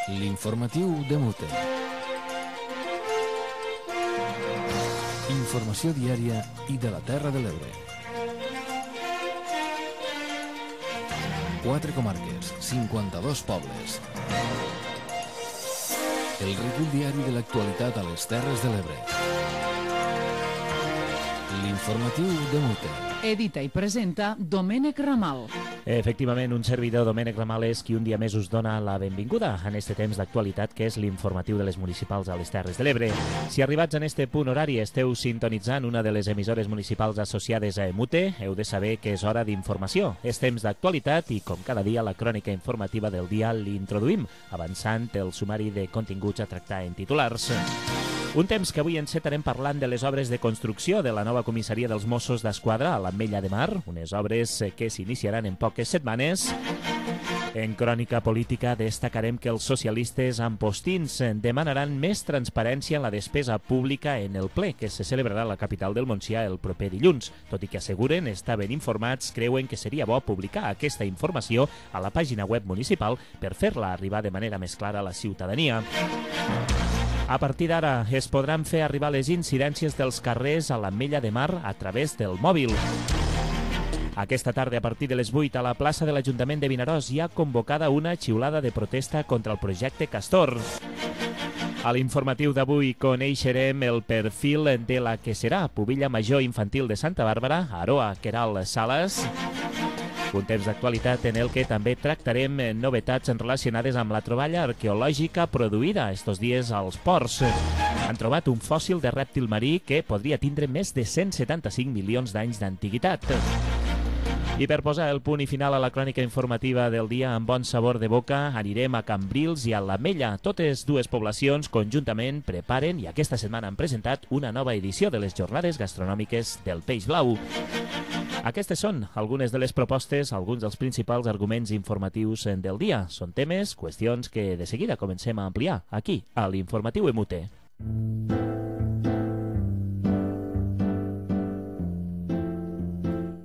L'informatiu de Mute. Informació diària i de la Terra de l'Ebre. 4 comarques, 52 pobles. El recull diari de l'actualitat a les Terres de l'Ebre. L'informatiu de Mute. Edita i presenta Domènec Ramal. Efectivament, un servidor, Domènec Ramal, és qui un dia més us dona la benvinguda en este temps d'actualitat que és l'informatiu de les municipals a les Terres de l'Ebre. Si arribats en este punt horari esteu sintonitzant una de les emissores municipals associades a Mute, heu de saber que és hora d'informació. És temps d'actualitat i, com cada dia, la crònica informativa del dia l'introduïm, avançant el sumari de continguts a tractar en titulars. Un temps que avui encetarem parlant de les obres de construcció de la nova comissaria dels Mossos d'Esquadra a l'Ametlla de Mar, unes obres que s'iniciaran en poques setmanes. En crònica política destacarem que els socialistes ampostins demanaran més transparència en la despesa pública en el ple que se celebrarà a la capital del Montsià el proper dilluns. Tot i que asseguren estar ben informats, creuen que seria bo publicar aquesta informació a la pàgina web municipal per fer-la arribar de manera més clara a la ciutadania. A partir d'ara es podran fer arribar les incidències dels carrers a l'Ametlla de Mar a través del mòbil. Aquesta tarda, a partir de les 8, a la plaça de l'Ajuntament de Vinaròs hi ha convocada una xiulada de protesta contra el projecte Castor. A l'informatiu d'avui coneixerem el perfil de la que serà pubilla major infantil de Santa Bàrbara, Aroa Queralt Salas. Un temps d'actualitat en el que també tractarem novetats relacionades amb la troballa arqueològica produïda estos dies als ports. Han trobat un fòssil de rèptil marí que podria tindre més de 175 milions d'anys d'antiguitat. I per posar el punt i final a la crònica informativa del dia amb bon sabor de boca, anirem a Cambrils i a l'Ametlla. Totes dues poblacions conjuntament preparen i aquesta setmana han presentat una nova edició de les jornades gastronòmiques del Peix Blau. Aquestes són algunes de les propostes, alguns dels principals arguments informatius del dia. Són temes, qüestions que de seguida comencem a ampliar aquí, a l'Informatiu Mute.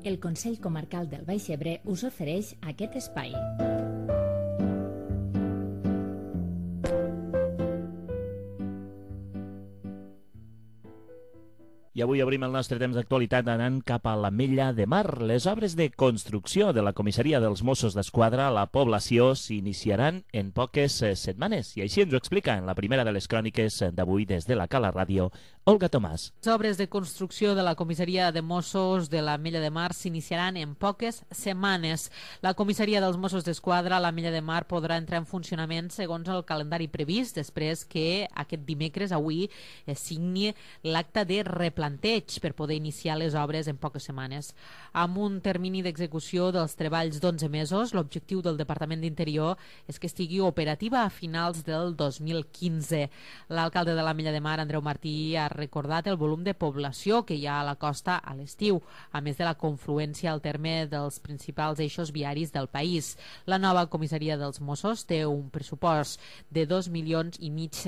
El Consell Comarcal del Baix Ebre us ofereix aquest espai. I avui obrim el nostre temps d'actualitat anant cap a l'Ametlla de Mar. Les obres de construcció de la comissaria dels Mossos d'Esquadra a la població s'iniciaran en poques setmanes. I així ens ho explica en la primera de les cròniques d'avui des de la Cala Ràdio, Olga Tomàs. Les obres de construcció de la comissaria de Mossos de l'Ametlla de Mar s'iniciaran en poques setmanes. La comissaria dels Mossos d'Esquadra a l'Ametlla de Mar podrà entrar en funcionament segons el calendari previst, després que aquest dimecres, avui, es signi l'acte de replanteig per poder iniciar les obres en poques setmanes. Amb un termini d'execució dels treballs d'11 mesos, l'objectiu del Departament d'Interior és que estigui operativa a finals del 2015. L'alcalde de l'Ametlla de Mar, Andreu Martí, ha recordat el volum de població que hi ha a la costa a l'estiu, a més de la confluència al terme dels principals eixos viaris del país. La nova comissaria dels Mossos té un pressupost de 2,5 milions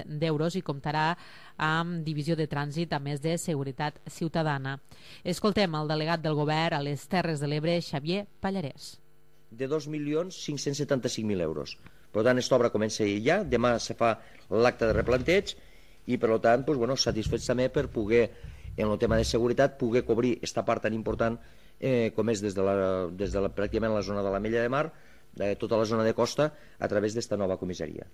d'euros i comptarà amb divisió de trànsit a més de seguretat ciutadana. Escoltem el delegat del govern a les Terres de l'Ebre, Xavier Pallarès. De 2.575.000 euros. Per tant, aquesta obra comença ja, demà se fa l'acte de replanteig i per tant, satisfets també per poder, en el tema de seguretat, poder cobrir aquesta part tan important com és des de pràcticament la zona de l'Ametlla de Mar, de tota la zona de costa, a través d'esta nova comissaria.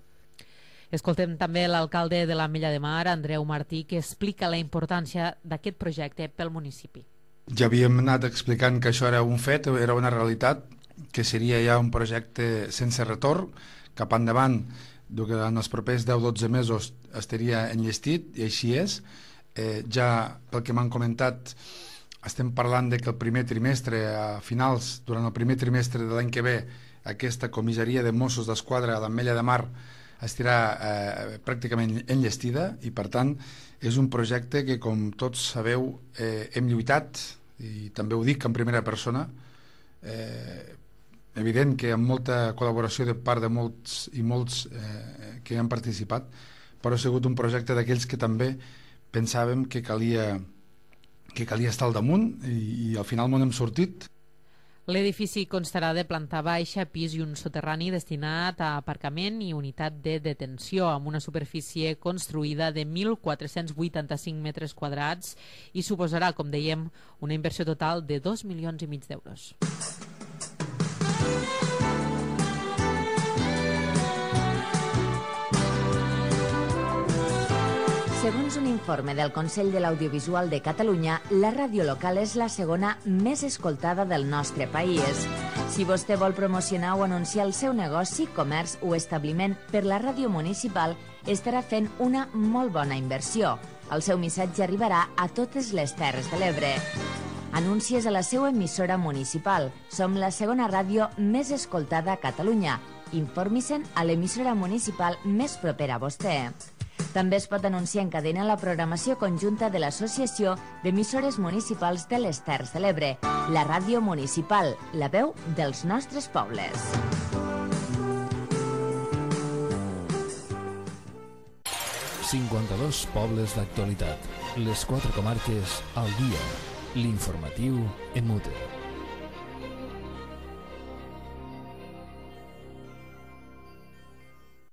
Escoltem també l'alcalde de l'Ametlla de Mar, Andreu Martí, que explica la importància d'aquest projecte pel municipi. Ja havíem anat explicant que això era un fet, era una realitat, que seria ja un projecte sense retorn, cap endavant, en els propers 10-12 mesos estaria enllestit, i així és. Ja pel que m'han comentat, estem parlant de que el primer trimestre, a finals, durant el primer trimestre de l'any que ve, aquesta comissaria de Mossos d'Esquadra a l'Ametlla de Mar estarà pràcticament enllestida i, per tant, és un projecte que, com tots sabeu, hem lluitat, i també ho dic en primera persona, evident que amb molta col·laboració de part de molts i molts que han participat, però ha sigut un projecte d'aquells que també pensàvem que calia estar al damunt i al final m'ho hem sortit. L'edifici constarà de planta baixa, pis i un soterrani destinat a aparcament i unitat de detenció, amb una superfície construïda de 1.485 metres quadrats i suposarà, com dèiem, una inversió total de 2,5 milions d'euros. Segons un informe del Consell de l'Audiovisual de Catalunya, la ràdio local és la segona més escoltada del nostre país. Si vostè vol promocionar o anunciar el seu negoci, comerç o establiment per la ràdio municipal, estarà fent una molt bona inversió. El seu missatge arribarà a totes les Terres de l'Ebre. Anuncies a la seva emissora municipal. Som la segona ràdio més escoltada a Catalunya. Informi-se'n a l'emissora municipal més propera a vostè. També es pot anunciar en cadena la programació conjunta de l'Associació d'Emissores Municipals de les Terres de l'Ebre, la ràdio municipal, la veu dels nostres pobles. ...52 pobles d'actualitat. Les 4 comarques al dia. L'informatiu EMUTE.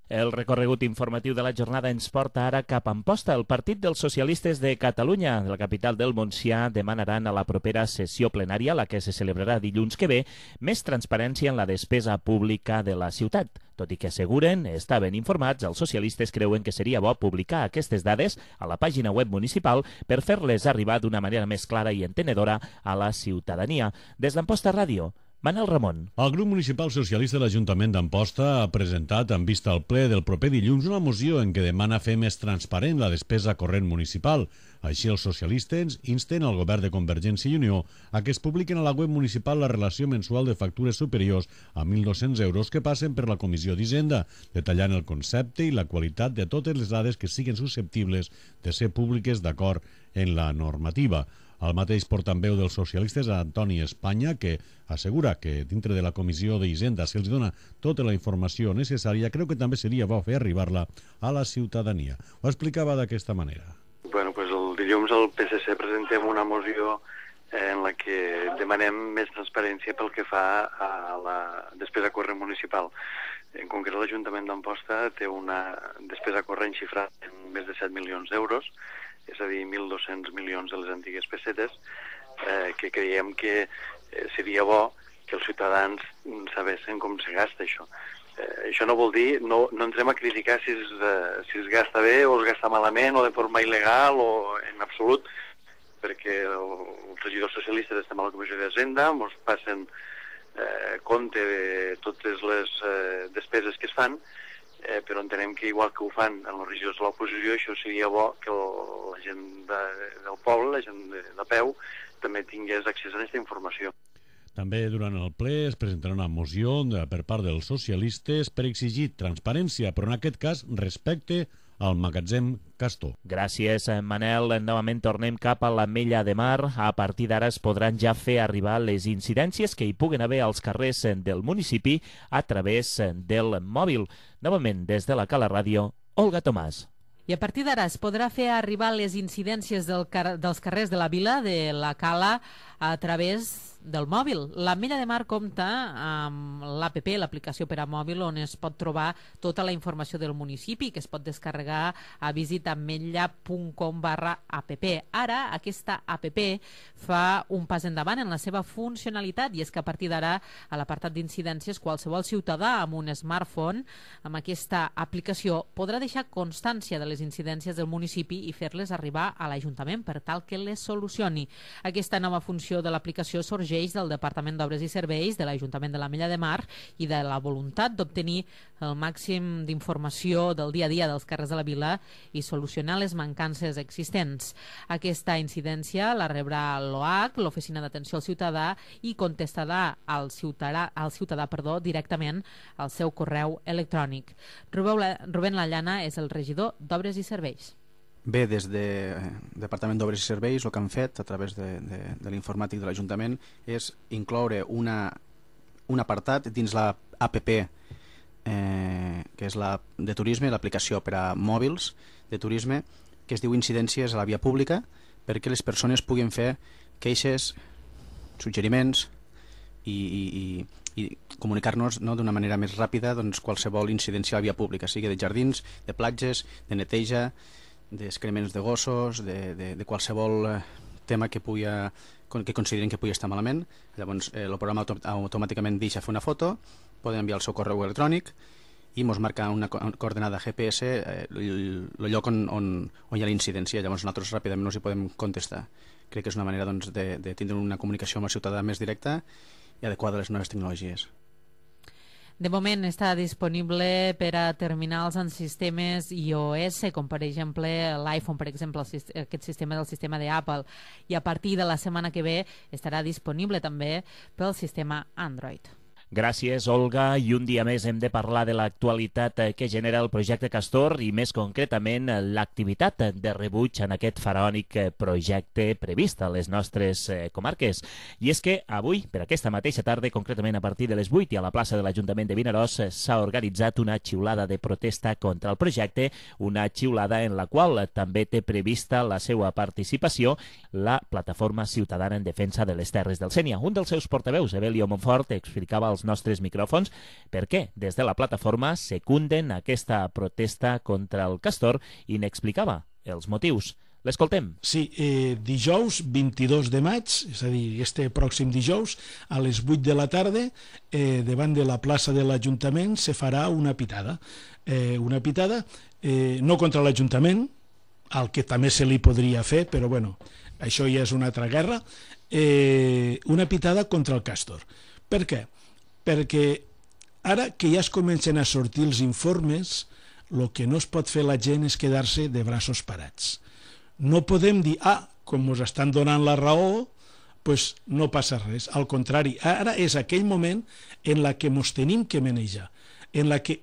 El recorregut informatiu de la jornada ens porta ara cap a Amposta. El Partit dels Socialistes de Catalunya, de la capital del Montsià, demanaran a la propera sessió plenària, la que se celebrarà dilluns que ve, més transparència en la despesa pública de la ciutat. Tot i que asseguren, estaven informats, els socialistes creuen que seria bo publicar aquestes dades a la pàgina web municipal per fer-les arribar d'una manera més clara i entenedora a la ciutadania. Des d'Amposta Ràdio, Manel Ramon. El grup municipal socialista de l'Ajuntament d'Amposta ha presentat en vista al ple del proper dilluns una moció en què demana fer més transparent la despesa corrent municipal. Així, els socialistes insten al govern de Convergència i Unió a que es publiquen a la web municipal la relació mensual de factures superiors a 1.200 euros que passen per la Comissió d'Hisenda, detallant el concepte i la qualitat de totes les dades que siguin susceptibles de ser públiques d'acord en la normativa. El mateix portaveu dels socialistes, Antoni Espanya, que assegura que dintre de la Comissió d'Hisenda se'ls dona tota la informació necessària, creu que també seria bo fer arribar-la a la ciutadania. Ho explicava d'aquesta manera. Bueno, pues el dilluns al PSC presentem una moció en la que demanem més transparència pel que fa a la despesa corrent municipal. En concret, l'Ajuntament d'Amposta té una despesa corrent xifrada en més de 7 milions d'euros, és a dir, 1.200 milions de les antigues pessetes, que creiem que seria bo que els ciutadans sabessin com se gasta això. Això no vol dir, no entrem a criticar si es gasta bé o es gasta malament o de forma il·legal o en absolut, perquè els regidors socialistes estem a la Comissió d'Hisenda, ens passen compte de totes les despeses que es fan, però entenem que igual que ho fan en els regidors de l'oposició, això seria bo que la gent del poble, la gent de peu, també tingués accés a aquesta informació. També durant el ple es presentarà una moció per part dels socialistes per exigir transparència, però en aquest cas respecte al magatzem Castor. Gràcies, Manel. Novament tornem cap a l'Ametlla de Mar. A partir d'ara es podran ja fer arribar les incidències que hi puguen haver als carrers del municipi a través del mòbil. Novament, des de la Cala Ràdio, Olga Tomàs. I a partir d'ara es podrà fer arribar les incidències dels carrers de la vila, de la Cala, a través del mòbil. L'Ametlla de Mar compta amb l'APP, l'aplicació per a mòbil, on es pot trobar tota la informació del municipi, que es pot descarregar a visitametlla.com/app. Ara, aquesta APP fa un pas endavant en la seva funcionalitat, i és que a partir d'ara, a l'apartat d'incidències, qualsevol ciutadà amb un smartphone, amb aquesta aplicació, podrà deixar constància de les incidències del municipi i fer-les arribar a l'Ajuntament per tal que les solucioni. Aquesta nova funció de l'aplicació sorgeix del Departament d'Obres i Serveis de l'Ajuntament de l'Ametlla de Mar i de la voluntat d'obtenir el màxim d'informació del dia a dia dels carrers de la vila i solucionar les mancances existents. Aquesta incidència la rebrà l'OAC, l'Oficina d'Atenció al Ciutadà, i contestarà al ciutadà directament al seu correu electrònic. Rubén Lallana és el regidor d'Obres i Serveis. Bé, des del Departament d'Obres i Serveis el que han fet a través de l'informàtic de l'Ajuntament és incloure un apartat dins la APP que és la de turisme, l'aplicació per a mòbils de turisme, que es diu Incidències a la via pública, perquè les persones puguin fer queixes, suggeriments i comunicar-nos d'una manera més ràpida qualsevol incidència a la via pública, sigui de jardins, de platges, de neteja, d'excrements de gossos, de qualsevol tema que considerin que pugui estar malament. Llavors el programa automàticament deixa fer una foto, poden enviar el seu correu electrònic i ens marca una coordenada GPS el lloc on hi ha la incidència. Llavors nosaltres ràpidament us hi podem contestar. Crec que és una manera de tindre una comunicació amb el ciutadà més directa i adequada a les noves tecnologies. De moment està disponible per a terminals en sistemes iOS, com per exemple l'iPhone, per exemple, aquest sistema del sistema d'Apple, i a partir de la setmana que ve estarà disponible també pel sistema Android. Gràcies, Olga. I un dia més hem de parlar de l'actualitat que genera el projecte Castor i més concretament l'activitat de rebuig en aquest faraònic projecte previst a les nostres comarques. I és que avui, per aquesta mateixa tarda, concretament a partir de les 8 i a la plaça de l'Ajuntament de Vinaròs, s'ha organitzat una xiulada de protesta contra el projecte, una xiulada en la qual també té prevista la seva participació la Plataforma Ciutadana en Defensa de les Terres del Sénia. Un dels seus portaveus, Evelio Monfort, explicava als nostres micròfons per què des de la plataforma secunden aquesta protesta contra el castor i n'explicava els motius. L'escoltem. Sí, dijous 22 de maig, és a dir, este pròxim dijous, a les 8 de la tarda, davant de la plaça de l'Ajuntament se farà una pitada. Una pitada no contra l'Ajuntament, al que també se li podria fer, però bueno, això ja és una altra guerra, una pitada contra el castor. Per què? Perquè ara que ja es comencen a sortir els informes, el que no es pot fer la gent és quedar-se de braços parats. No podem dir, com ens estan donant la raó, doncs no passa res. Al contrari, ara és aquell moment en la que ens tenim que manejar, en la que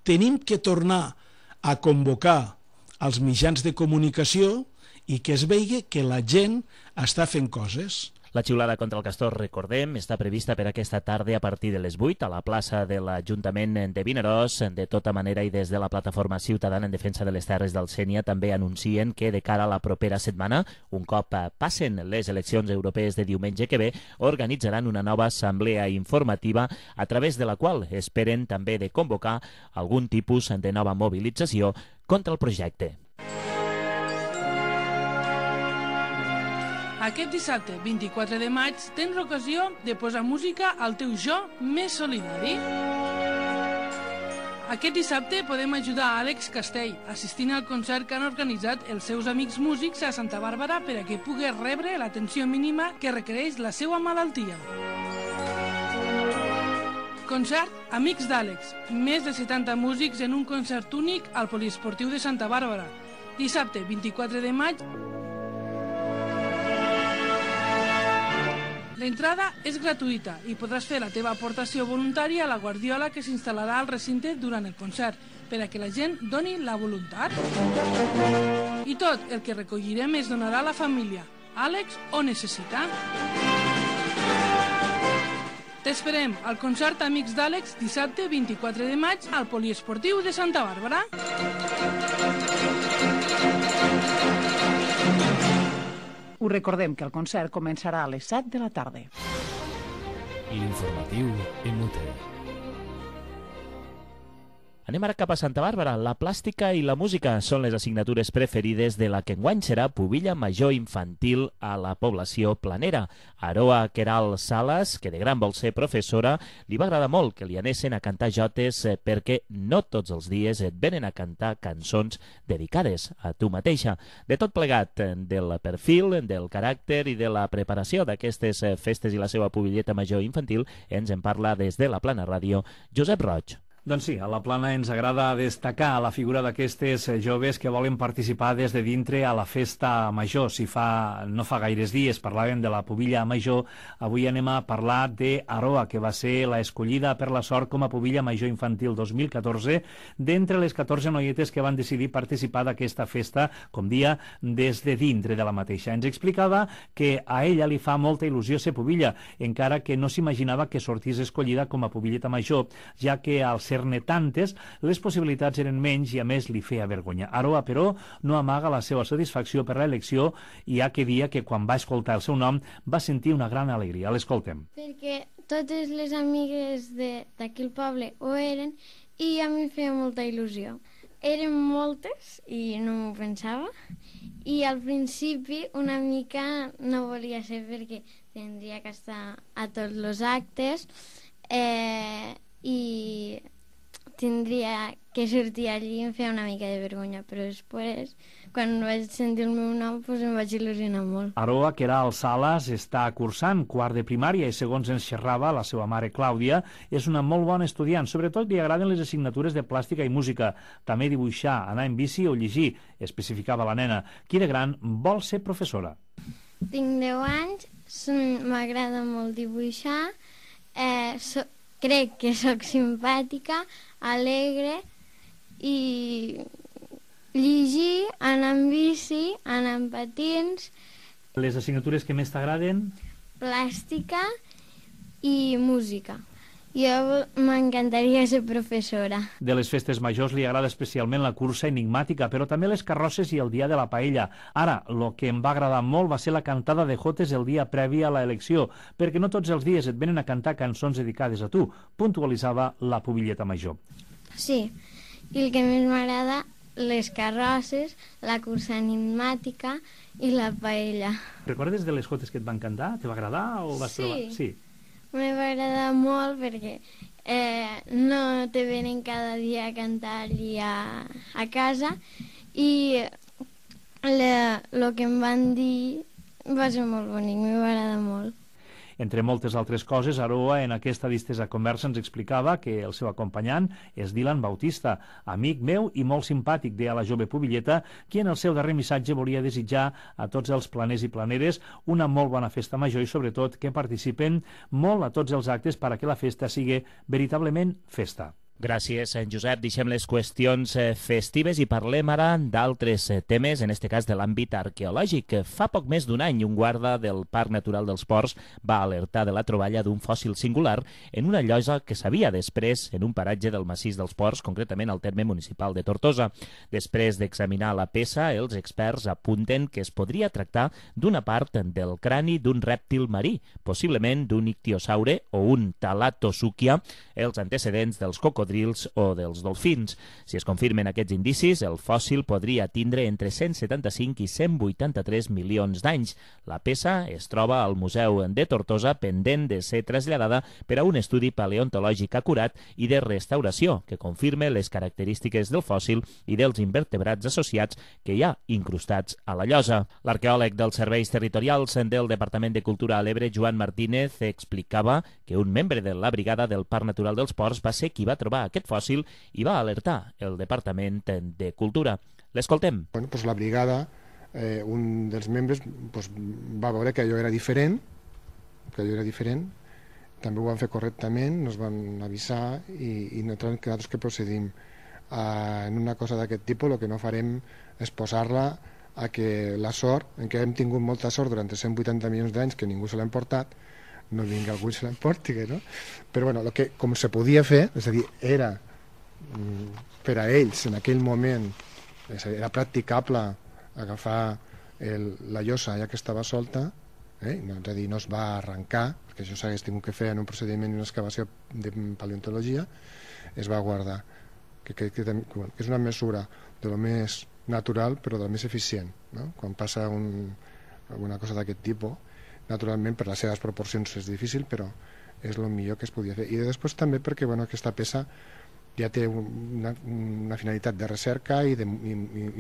tenim que tornar a convocar els mitjans de comunicació i que es vegi que la gent està fent coses. La xiulada contra el castor, recordem, està prevista per aquesta tarda a partir de les 8 a la plaça de l'Ajuntament de Vinaròs. De tota manera, i des de la Plataforma Ciutadana en Defensa de les Terres del Sénia també anuncien que de cara a la propera setmana, un cop passen les eleccions europees de diumenge que ve, organitzaran una nova assemblea informativa a través de la qual esperen també de convocar algun tipus de nova mobilització contra el projecte. Aquest dissabte, 24 de maig, tens l'ocasió de posar música al teu jo més solidari. Aquest dissabte podem ajudar a Àlex Castell assistint al concert que han organitzat els seus amics músics a Santa Bàrbara per a que pugui rebre l'atenció mínima que requereix la seva malaltia. Concert Amics d'Àlex. Més de 70 músics en un concert únic al Poliesportiu de Santa Bàrbara. Dissabte, 24 de maig. L'entrada és gratuïta i podràs fer la teva aportació voluntària a la guardiola que s'instal·larà al recinte durant el concert, per a que la gent doni la voluntat. I tot el que recollirem es donarà a la família. Àlex ho necessita. T'esperem al concert Amics d'Àlex dissabte 24 de maig al Poliesportiu de Santa Bàrbara. Us recordem que el concert començarà a les 7 de la tarda. L'informatiu MUT. Anem ara cap a Santa Bàrbara. La plàstica i la música són les assignatures preferides de la que enguany serà pubilla major infantil a la població planera. Aroa Queralt Salas, que de gran vol ser professora, li va agradar molt que li anessin a cantar jotes perquè no tots els dies et venen a cantar cançons dedicades a tu mateixa. De tot plegat, del perfil, del caràcter i de la preparació d'aquestes festes i la seva pubilleta major infantil, ens en parla des de la Plana Ràdio Josep Roig. Doncs sí, a la Plana ens agrada destacar la figura d'aquestes joves que volen participar des de dintre a la festa major. No fa gaires dies parlàvem de la pubilla major, avui anem a parlar d'Aroa, que va ser la escollida per la sort com a pubilla major infantil 2014, d'entre les 14 noietes que van decidir participar d'aquesta festa, com dia, des de dintre de la mateixa. Ens explicava que a ella li fa molta il·lusió ser pubilla, encara que no s'imaginava que sortís escollida com a pubilleta major, ja que al ser fer-ne tantes, les possibilitats eren menys i a més li feia vergonya. Aroa, però, no amaga la seva satisfacció per l'elecció i ha que dir que quan va escoltar el seu nom va sentir una gran alegria. L'escoltem. Perquè totes les amigues d'aquell poble ho eren i a mi em feia molta il·lusió. Eren moltes i no m'ho pensava i al principi una mica no volia ser perquè tindria que estar a tots els actes i tindria que sortir allí i em feia una mica de vergonya, però després, quan vaig sentir el meu nom, doncs em vaig il·lusionar molt. Aroa, que era al Sales, està cursant quart de primària i, segons ens xerrava la seva mare Clàudia, és una molt bona estudiant. Sobretot li agraden les assignatures de plàstica i música, també dibuixar, anar en bici o llegir, especificava la nena, qui de gran vol ser professora. Tinc 10 anys, m'agrada molt dibuixar, crec que sóc simpàtica, alegre i llegir, anar en bici, anar en patins. Les assignatures que més t'agraden? Plàstica i música. Jo m'encantaria ser professora. De les festes majors li agrada especialment la cursa enigmàtica, però també les carrosses i el dia de la paella. Ara, el que em va agradar molt va ser la cantada de jotes el dia previ a l'elecció, perquè no tots els dies et venen a cantar cançons dedicades a tu, puntualitzava la pubilleta major. Sí, i el que més m'agrada, les carrosses, la cursa enigmàtica i la paella. Recordes de les jotes que et van cantar? Te va agradar o vas trobar? Sí. Me va agradar molt perquè no te venen cada dia a cantar-li a casa i el que em van dir va ser molt bonic, me va agradar molt. Entre moltes altres coses, Aroa en aquesta distesa conversa ens explicava que el seu acompanyant és Dylan Bautista, amic meu i molt simpàtic, deia la jove pubilleta, qui en el seu darrer missatge volia desitjar a tots els planers i planeres una molt bona festa major i sobretot que participen molt a tots els actes perquè la festa sigui veritablement festa. Gràcies, en Josep. Deixem les qüestions festives i parlem ara d'altres temes, en este cas de l'àmbit arqueològic. Fa poc més d'un any, un guarda del Parc Natural dels Ports va alertar de la troballa d'un fòssil singular en una llosa que s'havia després en un paratge del massís dels Ports, concretament al terme municipal de Tortosa. Després d'examinar la peça, els experts apunten que es podria tractar d'una part del crani d'un rèptil marí, possiblement d'un ictiosaure o un talatosúquia, els antecedents dels cocodrils o dels dolfins. Si es confirmen aquests indicis, el fòssil podria tindre entre 175 i 183 milions d'anys. La peça es troba al Museu de Tortosa pendent de ser traslladada per a un estudi paleontològic acurat i de restauració que confirme les característiques del fòssil i dels invertebrats associats que hi ha incrustats a la llosa. L'arqueòleg dels serveis territorials del Departament de Cultura a l'Ebre, Joan Martínez, explicava que un membre de la brigada del Parc Natural dels Ports va ser qui va trobar aquest fòssil i va alertar el Departament de Cultura. L'escoltem. Bueno, pues la brigada, un dels membres va veure que allò era diferent, també ho van fer correctament, nos van avisar i nosaltres que procedim. En una cosa d'aquest tipus el que no farem és posar-la a que la sort, en què hem tingut molta sort durant 180 milions d'anys que ningú se l'ha emportat, no vingui algú i se l'emporti, no? Però bueno, el que com se podia fer, és a dir, era per a ells en aquell moment, era practicable agafar la llosa ja que estava solta, és a dir, no es va arrencar, perquè això s'hagués tingut que fer en un procediment i una excavació de paleontologia, es va guardar, que és una mesura de lo més natural però de lo més eficient, no? Quan passa alguna cosa d'aquest tipus, naturalment per les seves proporcions és difícil, però és el millor que es podia fer. I després també perquè aquesta peça ja té una finalitat de recerca i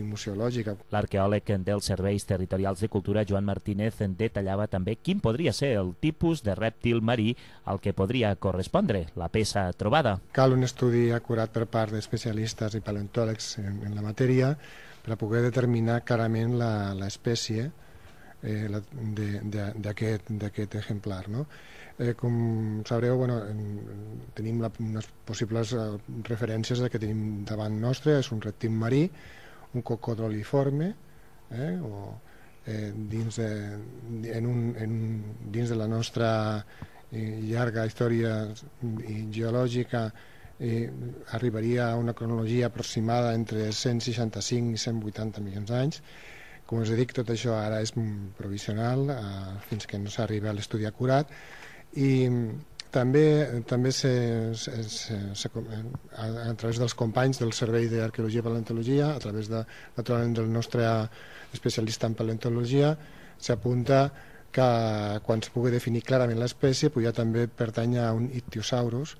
museològica. L'arqueòleg dels Serveis Territorials de Cultura, Joan Martínez, detallava també quin podria ser el tipus de rèptil marí al que podria correspondre la peça trobada. Cal un estudi acurat per part d'especialistes i paleontòlegs en la matèria per a poder determinar clarament l'espècie d'aquest exemplar, no? Com sabreu, tenim unes possibles referències que tenim davant nostre. És un rèptil marí, un cocodroliforme, dins de la nostra llarga història geològica arribaria a una cronologia aproximada entre 165 i 180 milions d'anys. Com us dic, tot això ara és provisional fins que no s'arribi a l'estudi acurat, i també a través dels companys del Servei d'Arqueologia i Paleontologia, a través naturalment del nostre especialista en paleontologia, s'apunta que quan es pugui definir clarament l'espècie ja també pertany a un ictiosaurus,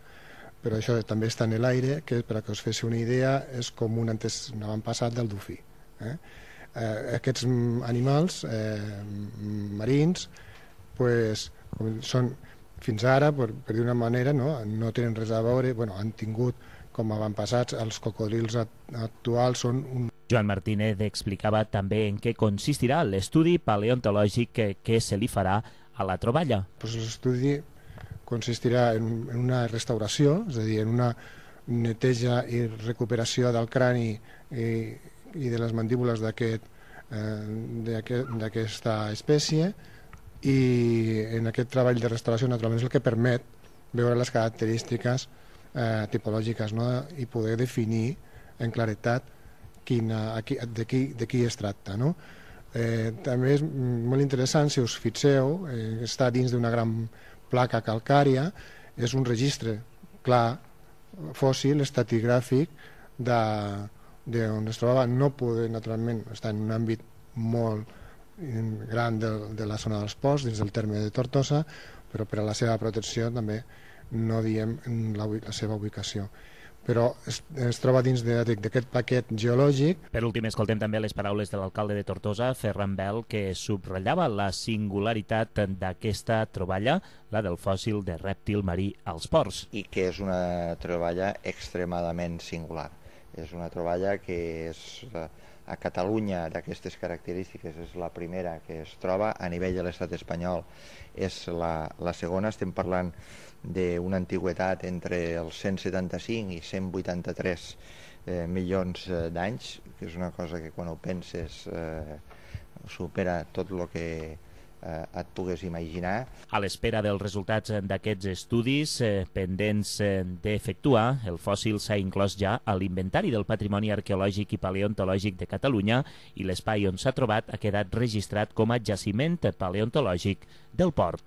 però això també està en l'aire, que per a que us fes una idea és com un avantpassat del dofí. Aquests animals marins són fins ara, per dir una manera, no tenen res a veure, han tingut com avantpassats els cocodrils actuals. Joan Martínez explicava també en què consistirà l'estudi paleontològic que se li farà a la troballa. L'estudi consistirà en una restauració, és a dir, en una neteja i recuperació del crani i de les mandíbules d'aquesta espècie, i en aquest treball de restauració naturalment és el que permet veure les característiques tipològiques i poder definir en claretat de qui es tracta. També és molt interessant, si us fixeu, està dins d'una gran placa calcària, és un registre clar, fòssil, estratigràfic, d'on es trobava. No poder, naturalment, estar en un àmbit molt gran de la zona dels ports, dins del terme de Tortosa, però per a la seva protecció també no diem la seva ubicació. Però es troba dins d'aquest paquet geològic. Per últim, escoltem també les paraules de l'alcalde de Tortosa, Ferran Bel, que subratllava la singularitat d'aquesta troballa, la del fòssil de rèptil marí als ports. I que és una troballa extremadament singular. És una troballa que és a Catalunya d'aquestes característiques, és la primera que es troba a nivell de l'estat espanyol, és la segona. Estem parlant d'una antigüitat entre els 175 i 183 milions d'anys, que és una cosa que quan ho penses supera tot el que et pugues imaginar. A l'espera dels resultats d'aquests estudis pendents d'efectuar, el fòssil s'ha inclòs ja a l'Inventari del Patrimoni Arqueològic i Paleontològic de Catalunya i l'espai on s'ha trobat ha quedat registrat com a jaciment paleontològic del port.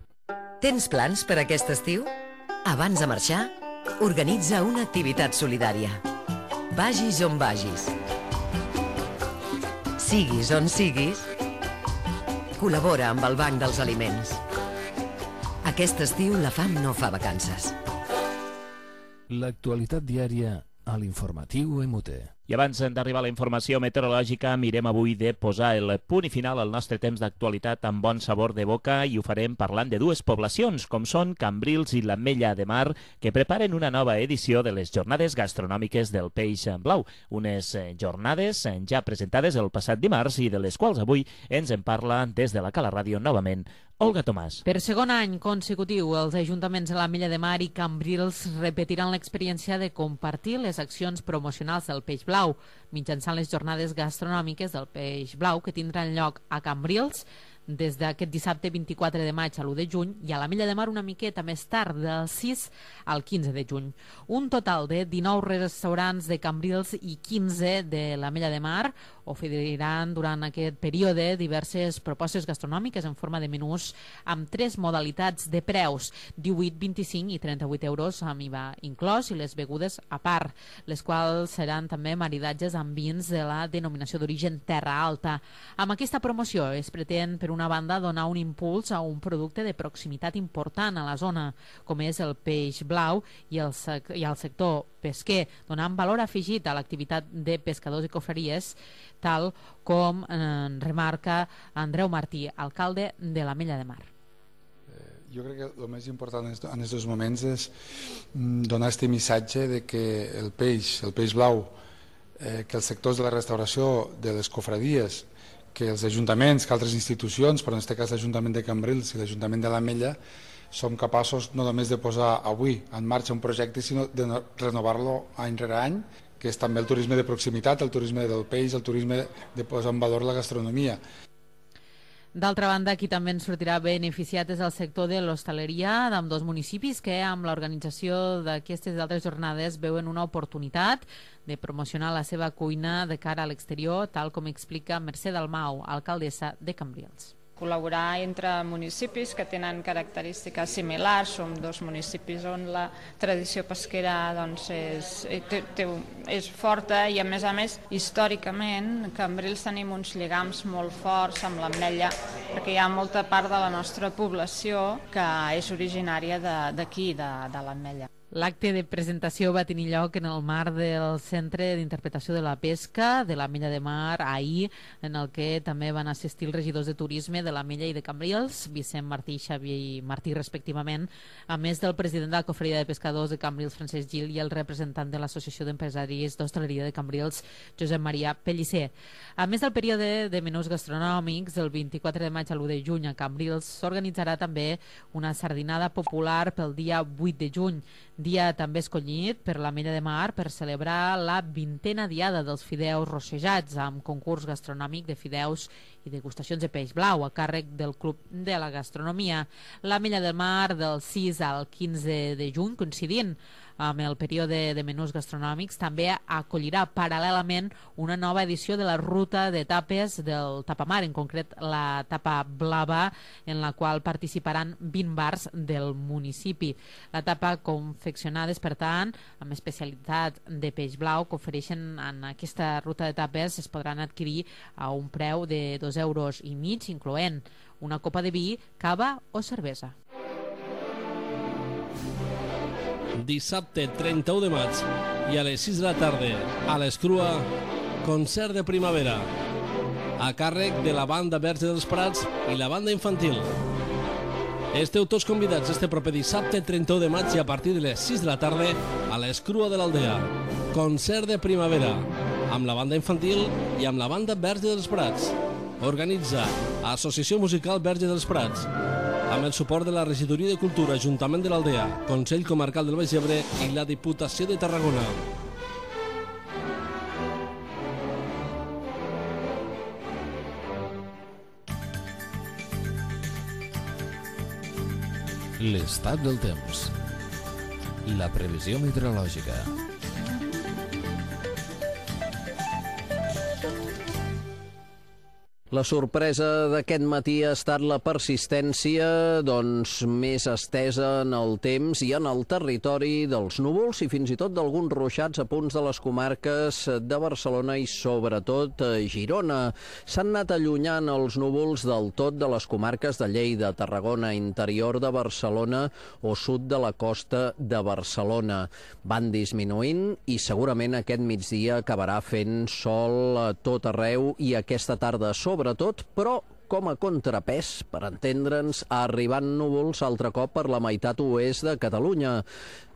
Tens plans per aquest estiu? Abans de marxar, organitza una activitat solidària. Vagis on vagis. Siguis on siguis, col·labora amb el Banc dels Aliments. Aquest estiu la fam no fa vacances. L'actualitat diària a l'informatiu MUT. I abans d'arribar a la informació meteorològica, mirem avui de posar el punt i final al nostre temps d'actualitat amb bon sabor de boca, i ho farem parlant de dues poblacions, com són Cambrils i l'Ametlla de Mar, que preparen una nova edició de les Jornades Gastronòmiques del Peix Blau. Unes jornades ja presentades el passat dimarts i de les quals avui ens en parla des de la Cala Ràdio novament Olga Tomàs. Per segon any consecutiu, els ajuntaments de l'Ametlla de Mar i Cambrils repetiran l'experiència de compartir les accions promocionals del Peix Blau mitjançant les jornades gastronòmiques del Peix Blau que tindran lloc a Cambrils des d'aquest dissabte 24 de maig a l'1 de juny i a l'Ametlla de Mar una miqueta més tard, del 6 al 15 de juny. Un total de 19 restaurants de Cambrils i 15 de l'Ametlla de Mar oferiran durant aquest període diverses propostes gastronòmiques en forma de menús amb 3 modalitats de preus, 18, 25 i 38 euros amb IVA inclòs i les begudes a part, les quals seran també maridatges amb vins de la denominació d'origen Terra Alta. Amb aquesta promoció es pretén, per una banda, donar un impuls a un producte de proximitat important a la zona, com és el peix blau i al sector pesquer, donant valor afegit a l'activitat de pescadors i cofreries, tal com remarca Andreu Martí, alcalde de l'Ametlla de Mar. Jo crec que el més important en aquests moments és donar aquest missatge de que el peix blau, que els sectors de la restauració, de les cofradies, que els ajuntaments, que altres institucions, però en aquest cas l'Ajuntament de Cambrils i l'Ajuntament de l'Ametlla, som capaços no només de posar avui en marxa un projecte, sinó de renovar-lo any rere any, que és també el turisme de proximitat, el turisme del peix, el turisme de posar en valor la gastronomia. D'altra banda, qui també en sortirà beneficiat és el sector de l'hostaleria d'ambdós municipis que amb l'organització d'aquestes altres jornades veuen una oportunitat de promocionar la seva cuina de cara a l'exterior, tal com explica Mercè Dalmau, alcaldessa de Cambrils. Col·laborar entre municipis que tenen característiques similars. Som dos municipis on la tradició pesquera doncs, és forta i, a més, històricament, a Cambrils tenim uns lligams molt forts amb l'ametlla, perquè hi ha molta part de la nostra població que és originària d'aquí, de l'ametlla. L'acte de presentació va tenir lloc en el marc del Centre d'Interpretació de la Pesca de l'Ametlla de Mar ahir, en el que també van assistir els regidors de turisme de l'Ametlla i de Cambrils, Vicent Martí i Xavi Martí respectivament, a més del president de la Cofreria de Pescadors de Cambrils, Francesc Gil, i el representant de l'Associació d'Empresaris d'Hostaleria de Cambrils, Josep Maria Pellicer. A més del període de menús gastronòmics, del 24 de maig a l'1 de juny a Cambrils, s'organitzarà també una sardinada popular pel dia 8 de juny, dia també escollit per l'Ametlla de Mar per celebrar la 20a diada dels fideus rossejats, amb concurs gastronòmic de fideus i degustacions de peix blau a càrrec del Club de la Gastronomia. L'Ametlla de Mar del 6 al 15 de juny, coincidint amb el període de menús gastronòmics, també acollirà paral·lelament una nova edició de la ruta d'etapes del Tapamar, en concret la Tapa Blava, en la qual participaran 20 bars del municipi. La tapa confeccionades, per tant, amb especialitat de peix blau que ofereixen en aquesta ruta d'etapes es podran adquirir a un preu de 2,5 euros, incloent una copa de vi, cava o cervesa. Dissabte 31 de maig i a les 6 de la tarda a l'Escrua, concert de primavera a càrrec de la banda Verge dels Prats i la banda infantil. Esteu tots convidats este proper dissabte 31 de maig i a partir de les 6 de la tarda a l'Escrua de l'Aldea. Concert de primavera amb la banda infantil i amb la banda Verge dels Prats. Organitza Associació Musical Verge dels Prats, amb el suport de la Regidoria de Cultura, Ajuntament de l'Aldea, Consell Comarcal del Baix Ebre i la Diputació de Tarragona. L'estat del temps. La previsió meteorològica. La sorpresa d'aquest matí ha estat la persistència més estesa en el temps i en el territori dels núvols i fins i tot d'alguns ruixats a punts de les comarques de Barcelona i sobretot Girona. S'han anat allunyant els núvols del tot de les comarques de Lleida, Tarragona, interior de Barcelona o sud de la costa de Barcelona. Van disminuint i segurament aquest migdia acabarà fent sol a tot arreu i aquesta tarda sobretot, però com a contrapès, per entendre'ns, arribant núvols altre cop per la meitat oest de Catalunya.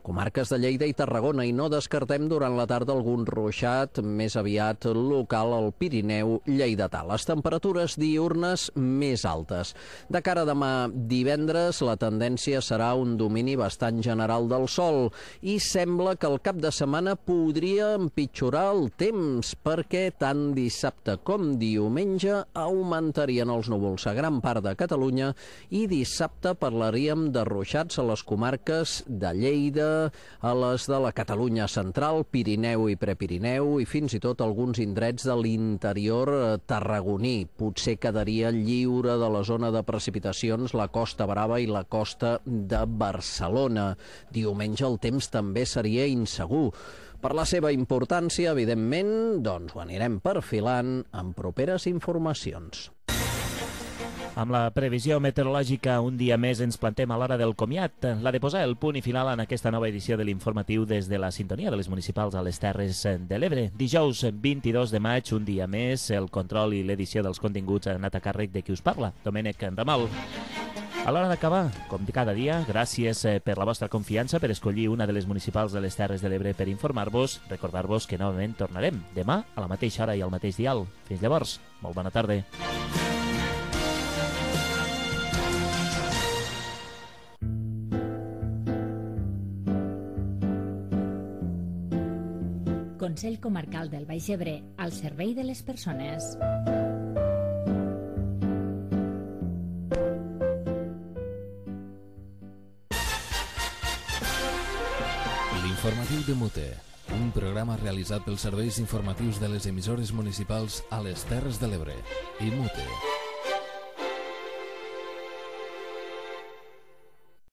Comarques de Lleida i Tarragona, i no descartem durant la tarda algun ruixat més aviat local al Pirineu lleidatà. Les temperatures diürnes més altes. De cara a demà divendres, la tendència serà un domini bastant general del sol i sembla que el cap de setmana podria empitjorar el temps perquè tant dissabte com diumenge augmentarien els núvols a gran part de Catalunya i dissabte parlaríem de ruixats a les comarques de Lleida, a les de la Catalunya central, Pirineu i Prepirineu i fins i tot alguns indrets de l'interior tarragoní. Potser quedaria lliure de la zona de precipitacions la Costa Brava i la costa de Barcelona. Diumenge el temps també seria insegur. Per la seva importància, evidentment, ho anirem perfilant en properes informacions. Amb la previsió meteorològica un dia més ens plantem a l'hora del comiat, la de posar el punt i final en aquesta nova edició de l'informatiu des de la sintonia de les municipals a les Terres de l'Ebre. Dijous 22 de maig, un dia més, el control i l'edició dels continguts han anat a càrrec de qui us parla, Domènec Ramal. A l'hora d'acabar, com cada dia, gràcies per la vostra confiança, per escollir una de les municipals de les Terres de l'Ebre per informar-vos. Recordar-vos que novament tornarem demà a la mateixa hora i al mateix dial. Fins llavors, molt bona tarda. Consell Comarcal del Baix Ebre, al servei de les persones. L'informatiu de Mute, un programa realitzat pels serveis informatius de les emissores municipals a les Terres de l'Ebre i Mute.